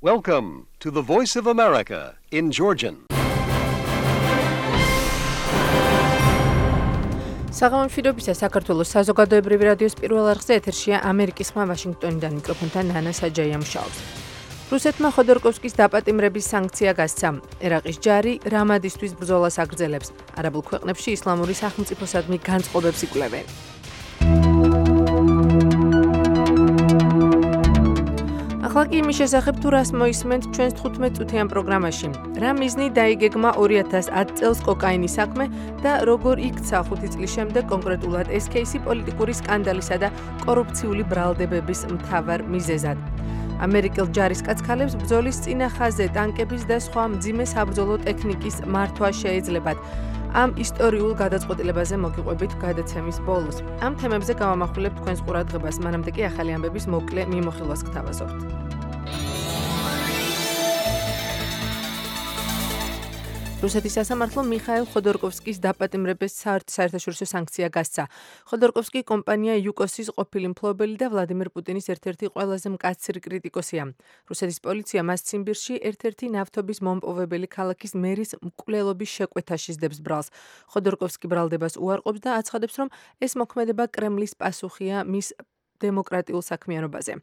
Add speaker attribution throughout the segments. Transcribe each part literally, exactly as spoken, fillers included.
Speaker 1: Welcome to the Voice of America in Georgian.
Speaker 2: საღამომშვიდობისა საქართველოს საზოგადოებრივი რადიოს პირველ არხზე ეთერშია ამერიკის ხმა ვაშინგტონიდან მიკროფონთან ნანა საჯაია მუშაობს. რუსეთმა ხოდორკოვსკის დაპატიმრების სანქცია გასცა. ერაყის ჯარი რამადისთვის ბრძოლას აგრძელებს. არაბულ ქვეყნებში ისლამური სახელმწიფოსადმი განწყობებს იკვლევენ. ახლა კი იმის შესახებ თუ რას მოისმენთ ჩვენს თხუთმეტ წუთიან პროგრამაში. რა მიზნი დაიგეგმა ორი ათას ათ წელს კოკაინის საქმე და როგორ იქცა ხუთი წლის შემდეგ კონკრეტულად ეს кейსი პოლიტიკური სკანდალისა და კორუფციული ბრალდებების მთავარ მიზეზად. ამერიკელ ჯარისკაცქალებს ბრძოლის წინა ხაზზე ტანკების და სხვა მძიმე საბრძოლო ტექნიკის მართვა შეეძლებათ. ამ ისტორიულ გადაწყვეტილებაზე მოგიყვებით გადაცემის ბოლოს. ამ თემებზე გავამახვილებთ თქვენს ყურადღებას, მანამდე კი ახალი ამბების მოკლე მიმოხილვას გთავაზობთ. რუსეთის სასამართლომ მიხაილ ხოდორკოვსკის დაპატიმრების საერთაშორისო სანქცია გასცა. ხოდორკოვსკი კომპანია იუკოსის ყოფილი მფლობელი და ვლადიმერ პუტინის ერთ-ერთი ყველაზე მკაცრი კრიტიკოსია. რუსეთის პოლიცია მას ციმბირში ერთ-ერთი ნავთობის მომპოვებელი ქალაქის მერის მკვლელობის შეკვეთაში სდებს ბრალს. ხოდორკოვსკი ბრალდებას უარყოფს და აცხადებს, რომ ეს მოქმედება კრემლის პასუხია მის დემოკრატიულ საქმიანობაზე.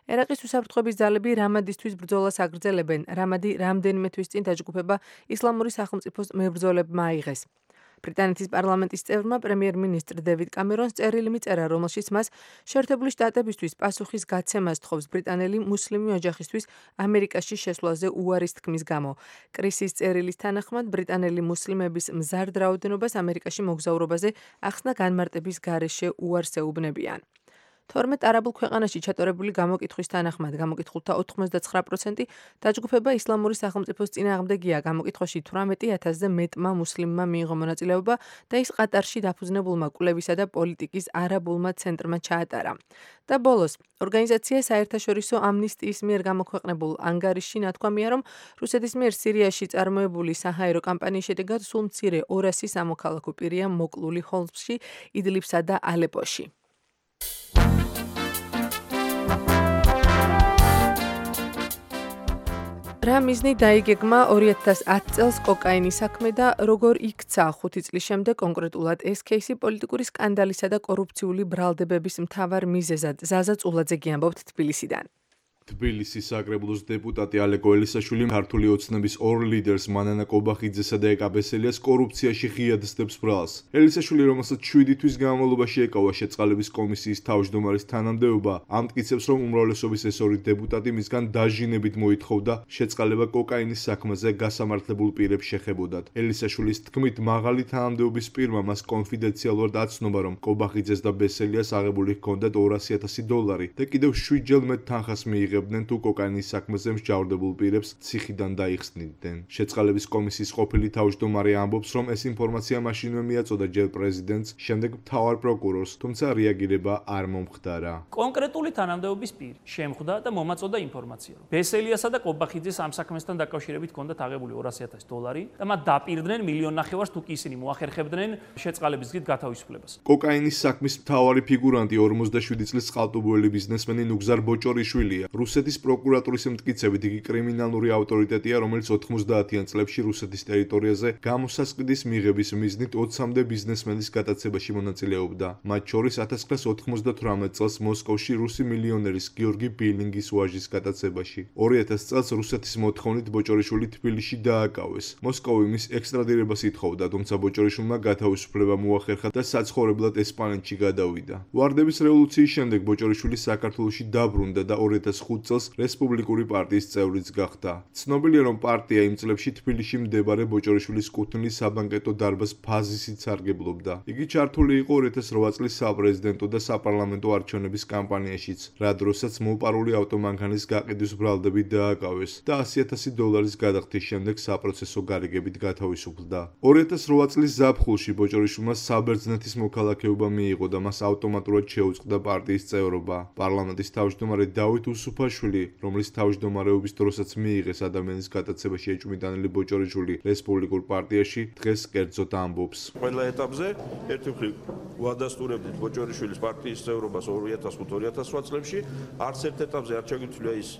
Speaker 2: ერაყის უსაფრთხოების ძალები რამადისთვის ბრძოლას აგრძელებენ. რამადი რამდენიმე თვის წინ დაჯგუფება ისლამური სახელმწიფოს მებრძოლებმა აიღეს. ბრიტანეთის პარლამენტის წევრმა პრემიერ-მინისტრ დევიდ კამერონს წერილი მიწერა, რომელშიც მას შეერთებული შტატებისთვის პასუხის გაცემას თხოვს ბრიტანელი მუსლიმი ოჯახისთვის ამერიკაში შესვლაზე უარის თქმის გამო. კრისის წერილის თანახმად ბრიტანელი მუსლიმების მზარდ რაოდენობას ამერიკაში მოგზაურობაზე ახსნა განმარტების გარეშე უარს ეუბნებიან. თორმეტ არაბულ ქვეყანაში ჩატარებული გამოკითხვის თანახმად გამოკითხულთა ოთხმოცდაცხრა პროცენტი დაჯგუფება ისლამური სახელმწიფოს წინააღმდეგია. გამოკითხვაში თვრამეტი ათასზე მეტმა მუსლიმმა მიიღო მონაწილეობა და ის ყატარში დაფუძნებულმა კვლევისა და პოლიტიკის არაბულმა ცენტრმა ჩაატარა. და ბოლოს, ორგანიზაცია საერთაშორისო ამნისტიის მიერ გამოქვეყნებულ ანგარიშში ნათქვამია, რომ რუსეთის მიერ სირიაში წარმოებული საჰაერო კამპანიის შედეგად სულ მცირე ორასი სამოქალაქო პირია მოკლული ჰომსში, იდლიბსა და ალეპოში. რა მიზნი დაიგეგმა ორი ათას ათ წელს კოკაინის საქმე და როგორ იქცა ხუთი წლის შემდეგ კონკრეტულად ეს кейსი პოლიტიკური სკანდალისა და კორუფციული ბრალდებების მთავარ მიზეზად. ზაზა წულაძე გიამბობთ თბილისიდან.
Speaker 3: თბილისის საკრებულოს დეპუტატი ალეკო ელისაშვილი ქართული ოცნების ორ ლიდერს მანანა კობახიძესა და ეკა ბესელიას კორუფციაში ღიად სდებს ბრალს. ელისაშვილი, რომელსაც შვიდი თვის განმავლობაში ეკავა შეწყალების კომისიის თავმჯდომარის თანამდებობა, ამტკიცებს, რომ უმრავლესობის ეს ორი დეპუტატი მისგან დაჟინებით მოითხოვდა შეწყალება კოკაინის საქმეზე გასამართლებულ პირებს შეხებოდათ. ელისაშვილის თქმით, მაღალი თანამდებობის პირმა მას კონფიდენციალურად აცნობა, რომ კობახიძეს და ბესელიას აღებული ჰქონდათ ორასი ათასი დოლარი და კიდევ შვიდჯერ მეტ თანხას მიიღებდნენ თუ კოკაინის საქმეზე მსჯავრდებულ პირებს ციხიდან დაიხსნიდნენ. შეწყალების კომისიის ყოფილი თავმჯდომარე ამბობს, რომ ეს ინფორმაცია მაშინვე მიაწოდა ჯერ პრეზიდენტს, შემდეგ მთავარ პროკურორს, თუმცა რეაგირება არ მომხდარა.
Speaker 4: კონკრეტული თანამდებობის პირი შემხვდა და მომაწოდა ინფორმაცია, რომ ბესელიასა და კობახიძეს ამ საქმესთან დაკავშირებით ჰქონდათ აღებული ორასი ათასი დოლარი და მათ დაპირდნენ მილიონ ნახევარს თუ კი ისინი მოახერხებდნენ შეწყალების გზით გათავისუფლებას.
Speaker 3: კოკაინის საქმის მთავარი ფიგურანტი ორმოცდაშვიდი წლის წყალტუბოელი ბიზნესმენი ნუგზარ ბოჭორიშვილია. რუსეთის პროკურატურის მტკიცებით იგი კრიმინალური ავტორიტეტია, რომელიც ოთხმოცდაათიან წლებში რუსეთის ტერიტორიაზე გამოსასყიდის მიღების მიზნით ოცამდე ბიზნესმენის გატაცებაში მონაწილეობდა. მათ შორის ათას ათას ოცდათვრამეტ წელს მოსკოვში რუსი მილიონერის გიორგი ბილინგის ვაჟის გატაცებაში. ორი ათას წელს რუსეთის მოთხოვნით ბოჭორიშვილი თბილისში დააკავეს. მოსკოვი მის ექსტრადირებას ითხოვდა, თუმცა ბოჭორიშვილმა გათავისუფლება მოახერხა და საცხოვრებლად ესპანეთში გადავიდა. ვარდების რევოლუციის შემდეგ ბოჭორიშვილი საქართველოში დაბრუნდა და ორი ათას ხუთ წელს რესპუბლიკური პარტიის წევრიც გახდა. ცნობილია, რომ პარტია იმ წლებში თბილისში მდებარე ბოჭორიშვილის კუთვნილის საბანკეტო დარბაზ ფაზისით სარგებლობდა. იგი ჩართული იყო ორი ათას რვა წლის საპრეზიდენტო და საპარლამენტო არჩევნების კამპანიაშიც, რა დროსაც მოპარული ავტომანქანის გაყიდვის ბრალდები დააკავეს და ასი ათასი დოლარის გადახდის შემდეგ საპროცესო გარიგებით გათავისუფლდა. ორი ათას რვა წლის ზაფხულში ბოჭორიშვილმა საბერძნეთის მოქალაქეობა მიიღო და მას ავტომატურად შეუწყდა პარტიის წევრობა. პარლამენტის თავმჯდომარე დავით უსუფაშვილი, რომლის თავმჯდომარეობის დროსაც მიიღეს ადამიანის გატაცებაში ეჭვმიტანილი ბოჭორიშვილი რესპუბლიკურ პარტიაში, დღეს კერძოდ ამბობს.
Speaker 5: ყველა ეტაპზე ერთი მხრივ ვადასტურებდით ბოჭორიშვილის პარტიის წევრობას ორი ათას ხუთ ორი ათას რვა წლებში, არც ერთ ეტაპზე არ ჩაგვიწვია ის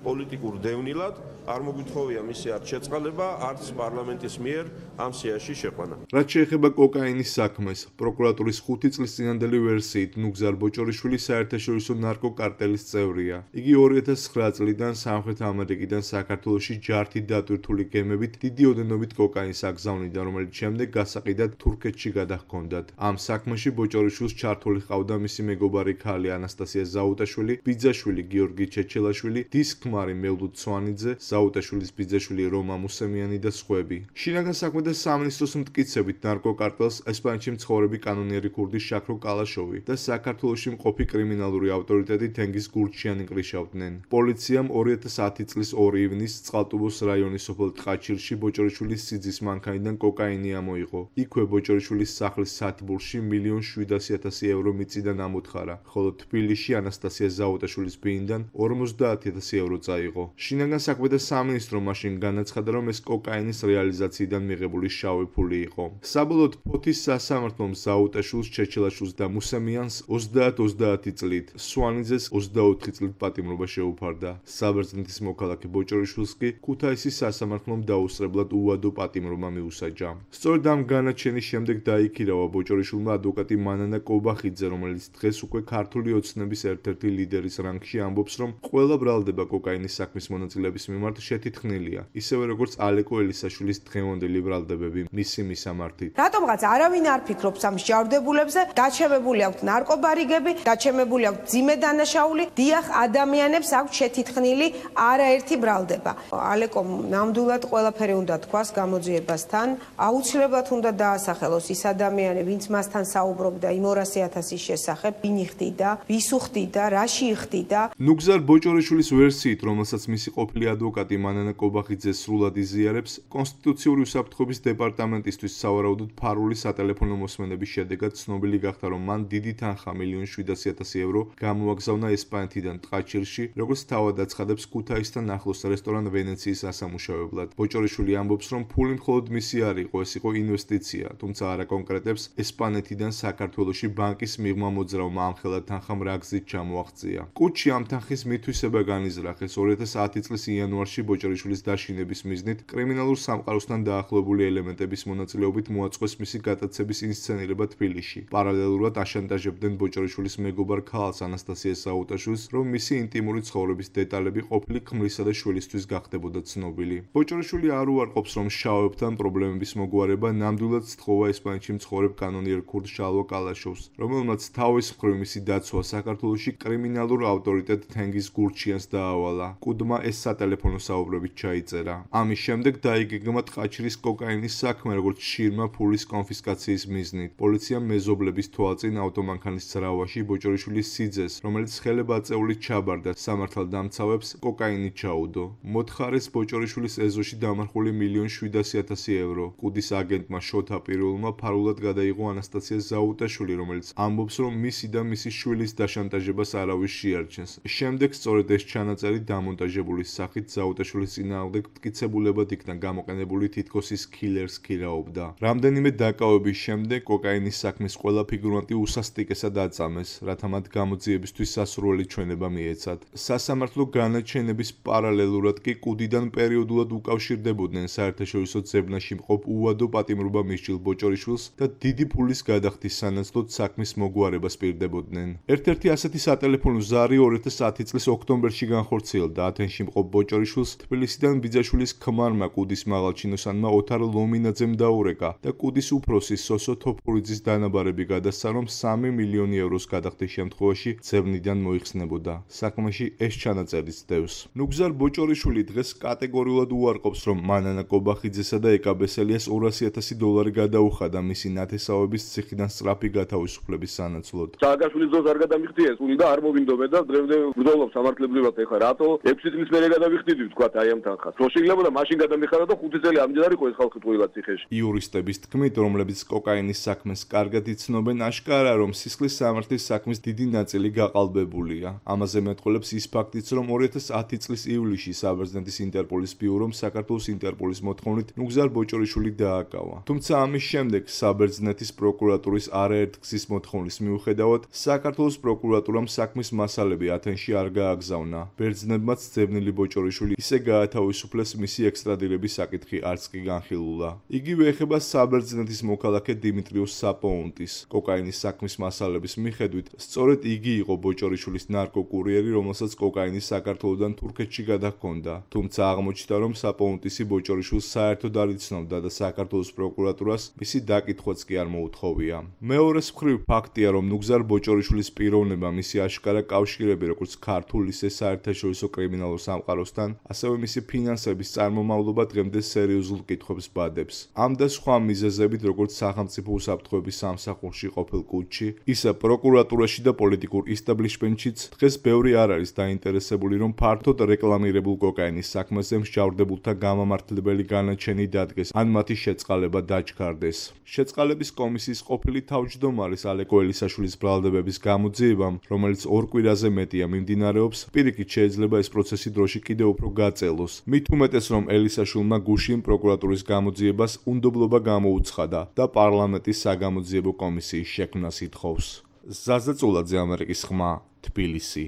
Speaker 5: პოლიტიკურ დევნილად არ მოგვითხოვია მისი არც შეწყალება, არც პარლამენტის მიერ ამ სიაში შეყვანა.
Speaker 3: რაც შეეხება კოკაინის საქმეს, პროკურატურის ხუთი წლის წინანდელი ვერსიით ნუგზარ ბოჭორიშვილი საერთაშორისო ნარკოკარტელის წევრია. იგი ორი ათას ცხრა წლიდან სამხრეთ ამერიკიდან საქართველოში ჯართით დატვირთული გემებით დიდი ოდენობით კოკაინს აგზავნიდა, რომელიც შემდეგ გასაყიდად თურქეთში გადაჰქონდათ. ამ საქმეში ბოჭორიშვილს ჩართული ჰყავდა მისი მეგობარი ქალი ანასტასია ზაუტაშვილი, ბიძაშვილი გიორგი ჩეჩელაშვილი, დის ქმარი მელდუდ ცვანიძე, ზაუტაშვილის ბიძაშვილი რომა მუსემიანი და სხვები. შინაგან საქმეთა სამინისტროს მტკიცებით ნარკოკარტელს ესპანეთში მცხოვრები კანონიერი ქურდი შაქრო კალაშოვი და საქართველოში მყოფი კრიმინალური ავტორიტეტი თენგიზ გურჩიანი კრიშავდნენ. პოლიციამ ორი ათას ათი წლის ორი ივნისს წყალტუბოს რაიონის სოფელ ტყაჩირში ბოჭორიშვილის სიძის მანქანიდან კოკაინი ამოიღო. იქვე ბოჭორიშვილის სახლის სათბურში მილიონ შვიდასი ათასი ევრო მიწიდან ამოთხარა, ხოლო თბილისში ანასტასია ზაუტაშვილის ბიინდან ორმოცდაათი ათასი ევრო წაიღო. შინაგან საქმეთა სამინისტრო მაშინ განაცხადა, რომ ეს კოკაინის რეალიზაციიდან მიღებული შავი ფული იყო. საბოლოოდ ფოთის სასამართლომ ზაუტაშვილს, ჩეჩელაშვილს და მუსემიანს ოცდაათ ოცდაათი წლით, სვანიძეს ოცდაოთხი წლით პატიმრობა შეუფარდა. საბერძნეთის მოქალაქე ბოჭორიშვილს კი ქუთაისის სასამართლომ დაუსწრებლად უვადო პატიმრობა მიუსაჯა. სწორედ ამ განაჩენის შემდეგ დაიქირავა ბოჭორიშვილმა ადვოკატი მანანა კობახიძე, რომელიც დღეს უკვე ქართული ოცნების ერთ-ერთი ლიდერის რანგში ამბობს, რომ ყველა ბრალდება კოკაინის საქმის მონაწილეების მიმართ შეთითქმელია, ისევე როგორც ალეკო ელისაშვილის დღევანდელი ბრალდებები მისი მისამართით.
Speaker 6: რატომღაც არავინ არ ფიქრობს ამ მსჯავრდებულებზე, დაჩემებული აქვთ ნარკობარიგები, დაჩემებული აქვთ ძიმე დანაშაული, დიახ, ადამიანებს აქვთ შეთითქმილი არაერთი ბრალდება. ალეკომ ნამდვილად ყველაფერი უნდა თქვას გამოძიებასთან, აუცილებლად უნდა დაასახელოს ის ადამიანი, ვინც მასთან საუბრობდა იმ ორასი ათასის შესახებ, ვინ იხდიდა, ვის უხდიდა, რაში იხდიდა.
Speaker 3: ნუგზარ ბოჭორიშვილის ვერსიით, რომელსაც მისი ყოფილი ადვოკატი მანანა კობახიძე სრულად იზიარებს, კონსტიტუციური უსაფრთხოების დეპარტამენტისთვის სავარაუდოდ ფარული სატელეფონო მოსმენების შედეგად ცნობილი გახდა, რომ მან დიდი თანხა მილიონ შვიდასი ათასი ევრო გამოაგზავნა ესპანეთიდან ტყაჩირში, როგორც თავად აცხადებს ქუთაისთან ახლოს რესტორან ვენეციის ასამუშავებლად. ბოჭორიშვილი ამბობს, რომ ფული მხოლოდ მისი არ იყო, ეს იყო ინვესტიცია, თუმცა არ აკონკრეტებს ესპანეთიდან საქართველოში ბანკის მიღმა მოძრავმა ამხელა თანხამ რა გზით ჩამოაღწია. კუთში ამ თანხის მითვისება განიზრახეს ორი ათას ათი წლის იანვარში ბოჭორიშვილის დაშინების მიზნით კრიმინალურ სამყაროსთან დაახლოებული ელემენტების მონაწილეობით მოაწყვეს მისი გატაცების ინსცენირება თბილისში. პარალელურად აშანტაჟებდნენ ბოჭორიშვილის მეგობარ ქალს ანასტასიას ზაუტაშვილს, რომ მისი ინტიმური ცხოვრების დეტალები ყოფილი ქმრისა და შვილისთვის გახდებოდა ცნობილი. ბოჭორიშვილი არ უარყოფს, რომ შავებთან პრობლემების მოგვარება ნამდვილად სთხოვა ესპანეთში მცხოვრებ კანონიერ ქურდ შალვა კალაშოვს, რომელმაც თავის მხრივ მისი დაცვა საქართველოში კრიმინალურ ავტორიტეტ თენგიზ გურჩიანს დაავალა. კუდმა ეს სატელეფონო საუბრებით ჩაიწერა. ამის შემდეგ დაიგეგმა ტყაჩრის კოკაინის საქმე, როგორც შირმა ფულის კონფისკაციის მიზნით. პოლიციამ მეზობლების თვალწინ ავტომანქანის ძრავაში ბოჭორიშვილის სიძეს, რომელიც ხელებაწეულით ჩაბარდა სამართალდამცავებს, კოკაინი ჩაუდო. მოთხარეს ბოჭორიშვილის ეზოში დამარხული მილიონ შვიდასი ათასი ევრო. კუდის აგენტმა შოთა პირველმა ფარულად გადაიღო ანასტასია ზაუტაშვილი, რომელიც ამბობს, რომ მისი და მისი შვილის დაშანტაჟებას არავის შეარჩენს. შემდეგ სწორედ ეს ჩანაწერი დამონტაჟებული სახით ზაუტაშვილის წინააღმდეგ მტკიცებულებად იქნა გამოყენებული, თითქოს ის კილერს ქირაობდა. რამდენიმე დაკავების შემდეგ კოკაინის საქმის ყველა ფიგურანტი უსასტიკესად აწამეს, რათა მათ გამოძიებისთვის სასურველი ჩვენება მიეცათ. სასამართლო განაჩენების პარალელურად კი კუდიდან პერიოდულად უკავშირდებოდნენ საერთაშორისო ძებნაში მყოფ უვადო პატიმრობა მისჯილ ბოჭორიშვილს და დიდი ფულის გადახდის სანაცვლოდ საქმის მოგვარებას პირდებოდნენ. ერთ-ერთი ასეთი სატელეფონო ზარი ორი ათას ათი წლის ოქტომბერში განხორციელდა. ათენში მყოფ ბოჭორიშვილს თბილისიდან ბიძაშვილის ქმარმა კუდის მაღალჩინოსანმა ოთარ ლომინაძემ დაურეკა და კუდის უფროსი სოსო თოფურიძის დანაბარები გადასცა, რომ სამი მილიონი ევროს გადახდის შემთხვევაში ძებნიდან მოიხსნებოდა. საქმეში ეს ჩანაწერიც დევს. ნუგზარ ბოჭორიშვილი დღეს კატეგორიულად უარყოფს, რომ მანანა კობახიძესა და ეკაბესელიას ორასი ათასი დოლარი გადაუხადა მისი ნათესავების ციხიდან სწრაფი გათავისუფლების სანაცვლოდ.
Speaker 7: სააკაშვილის დროს არ გადამიხდიეს ფული და არ მოვინდობე და დღემდე ვბრძოლობ სამართლებრივად. ეხლა რატო ექვსი წლის მერე გადავიხდიდი ვთქვათ აი ამ თანხას. რო შეიძლება მაშინ გადამიხარა და ხუთი წელი ამდენ არ იყო ეს ხალხი ტყუილად ციხეში.
Speaker 3: იურისტების თქმით, რომლებიც კოკაინის საქმეს კარგად იცნობენ, აშკარაა, რომ სისხლის სამართლის საქმის დიდი ნაწილი გაყალბებულია. ამაზე მეტყველებს ის ფაქტიც, რომ ორი ათას ათი წლის ივლისში საბერძნეთის ინტერპოლის ბიურომ საქართველოს ინტერპოლის მოთხოვნით ნუგზარ ბოჭორიშვილი დააკავა. თუმცა ამის შემდეგ საბერძნეთის პროკურატურის არაერთგზის მოთხოვნის მიუხედავად, საქართველოს პროკურატურამ საქმის მასალები ათენში არ გააგზავნა. ბერძნები საბერძნებმაც ძებნილი ბოჭორიშვილი ისე გაათავისუფლეს, მისი ექსტრადირების საკითხი არც კი განხილულა. იგივე ეხება საბერძნეთის მოქალაქე დიმიტრიუს საპოუნტის. კოკაინის საქმის მასალების მიხედვით, სწორედ იგი იყო ბოჭორიშვილის ნარკოკურიერი, რომელსაც კოკაინი საქართველოდან თურქეთში გადაჰქონდა. თუმცა აღმოჩნდა, რომ საპოუნტისი ბოჭორიშვილს საერთოდ არ იცნობდა და საქართველოს პროკურატურას მისი დაკითხვაც კი არ მოუთხოვია. მეორეს მხრივ ფაქტია, რომ ნუგზარ ბოჭორიშვილის პიროვნება, მისი აშკარა კავშირები როგორც ქართულ, ისე საერთაშორისო კრიმინალურ სამყაროსთან, ასევე მისი ფინანსების წარმომავლობა დღემდე სერიოზულ კითხვებს ბადებს. ამ და სხვა მიზეზებით, როგორც სახელმწიფო უსაფრთხოების სამსახურში ყოფილ კუჩში, ისე პროკურატურაში და პოლიტიკურ ისტაბლიშმენტშიც დღეს ბევრი არ არის დაინტერესებული, რომ ფართოდ რეკლამირებულ კოკაინის საქმეზე მსჯავრდებულთა გამამართლებელი განაჩენი დადგეს, ან მათი შეწყალება დაჩქარდეს. შეწყალების კომისიის ყოფილი თავმჯდომარის ალეკო ელისაშვილის ბრალდებების გამოძიებამ, რომელიც ორ კვირაზე მეტია მიმდინარეობს, პირიქით შეიძლება ეს პროცესი დროში კიდევ უფრო გაწელოს. მით უმეტეს, რომ ელისაშვილმა გუშინ პროკურატურის გამოძიებას უნდობლობა გამოუცხადა და პარლამენტის საგამოძიებო კომისიის შექმნას ითხოვს. ზაზა წულაძე, ამერიკის ხმა, თბილისი.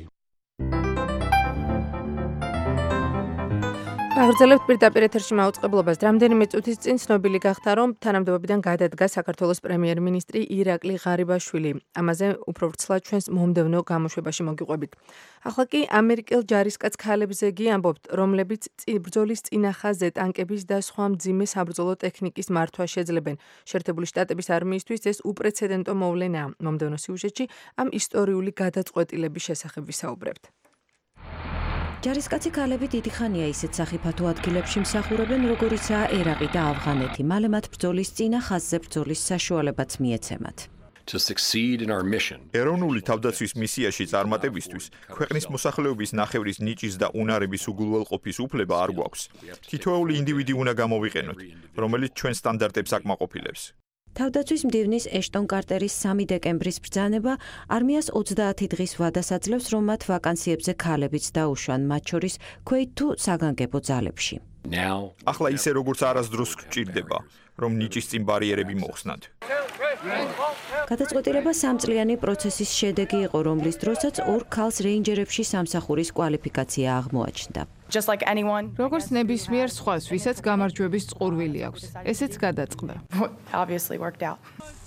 Speaker 2: აღრძელებთ პირდაპირ ეთერში მაუწყებლობას. რამდენიმე წუთის წინ ცნობილი გახდა, რომ თანამდებობიდან გადადგა საქართველოს პრემიერ-მინისტრი ირაკლი ღარიბაშვილი. ამაზე უფრო ვრცლად ჩვენს მომდევნო გამოშვებაში მოგიყვებით. ახლა კი ამერიკელ ჯარისკაც ქალებზე გი ამბობთ, რომლებიც ბრძოლის წინახაზე ტანკების და სხვა მძიმე საბრძოლო ტექნიკის მართვა შეძლებენ. შეერთებული შტატების არმიისთვის ეს უპრეცედენტო მოვლენაა. მომდევნო სიუჟეტში ამ ისტორიული გადაწყვეტილების შესახებ ვისაუბრებთ.
Speaker 8: ჯარისკაცი ქალები დიდი ხანია ისეთ სახიფათო ადგილებში მსახურობენ, როგორიცაა ერაყი და ავღანეთი. მალე მათ ბრძოლის წინა ხაზზე ბრძოლის საშუალებაც მიეცემათ.
Speaker 9: ეროვნული თავდაცვის მისიაში წარმატებისთვის ქვეყნის მოსახლეობის ნახევრის ნიჭის და უნარების უგულველყოფის უფლება არ გვაქვს. თითოეული ინდივიდი უნდა გამოვიყენოთ, რომელიც ჩვენ სტანდარტებს აკმაყოფილებს.
Speaker 8: თავდაცვის მდივნის ეშტონ კარტერის სამი დეკემბრის ბრძანება არმიას ოცდაათი დღის ვადას აძლევს, რომ მათ ვაკანსიებზე ქალებიც დაუშვან, მათ შორის ქვეით თუ საგანგებო ძალებში.
Speaker 9: ახლა ისე როგორც არასდროს გვჭირდება, რომ ნიჭის წინ ბარიერები მოხსნათ.
Speaker 8: გადაწყვეტილება სამწლიანი პროცესის შედეგი იყო, რომლის დროსაც ორ ქალს რეინჯერებში სამსახურის კვალიფიკაცია აღმოაჩნდა.
Speaker 10: როგორც ნებისმიერ სხვას, ვისაც გამარჯვების წყურვილი აქვს, ესეც გადაწყდა.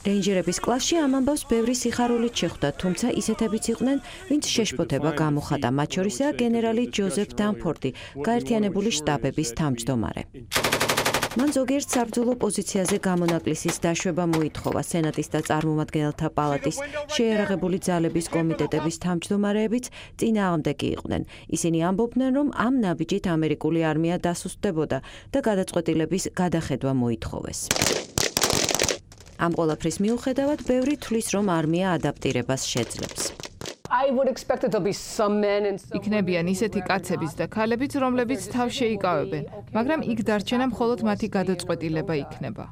Speaker 8: რეინჯერების კლასში ამ ამბავს ბევრი სიხარულით შეხვდა, თუმცა ისეთებიც იყვნენ, ვინც შეშფოთება გამოხატა, მათ შორისაა გენერალი ჯოზეფ დანფორდი, გაერთიანებული შტაბების თავმჯდომარე. მან ზოგიერთ საბრძოლო პოზიციაზე გამონაკლისის დაშვება მოითხოვა. სენატის და წარმომადგენელთა პალატის შეიარაღებული ძალების კომიტეტების თავმჯდომარეებიც წინააღმდეგი იყვნენ. ისინი ამბობდნენ, რომ ამ ნაბიჯით ამერიკული არმია დასუსტდებოდა და გადაწყვეტილების გადახედვა მოითხოვეს. ამ ყველაფრის მიუხედავად, ბევრი თვლის, რომ არმია ადაპტირებას შეძლებს.
Speaker 10: იქნებიან ისეთი კაცებიც და ქალებიც, რომლებიც თავს შეიკავებენ, მაგრამ იქ დარჩენა მხოლოდ მათი გადაწყვეტილება იქნება.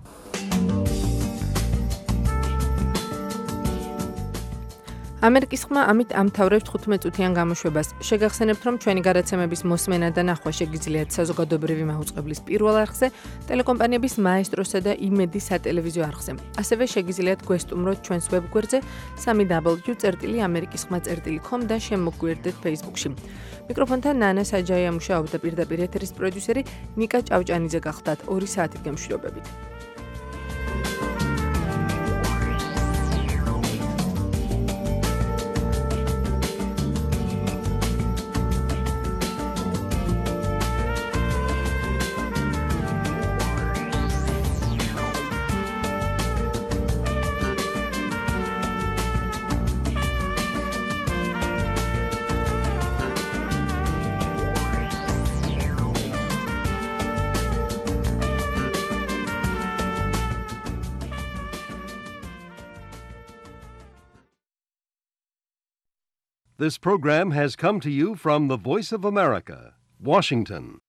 Speaker 2: ამერიკის ხმა ამით ამთავრებს თხუთმეტ წუთიან გამოშვებას. შეგახსენებთ, რომ ჩვენი გადაცემების მოსმენა და ნახვა შეგიძლიათ საზოგადოებრივი მაუწყებლის პირველ არხზე, ტელეკომპანიების მაესტროსა და იმედის სატელევიზიო არხზე. ასევე შეგიძლიათ გვესტუმროთ ჩვენს ვებგვერდზე სამი დაბლიუ წერტილი ამერიკის ხმა წერტილი კომ და შემოგვიერთდეთ Facebook-ში. მიკროფონთან ნანა საჯაია მუშაობდა, პირდაპირ ეთერის პროდიუსერი ნიკა ჭავჭანიძე გახდათ. ორი საათით გემშვიდობებით.
Speaker 1: This program has come to you from the Voice of America, Washington.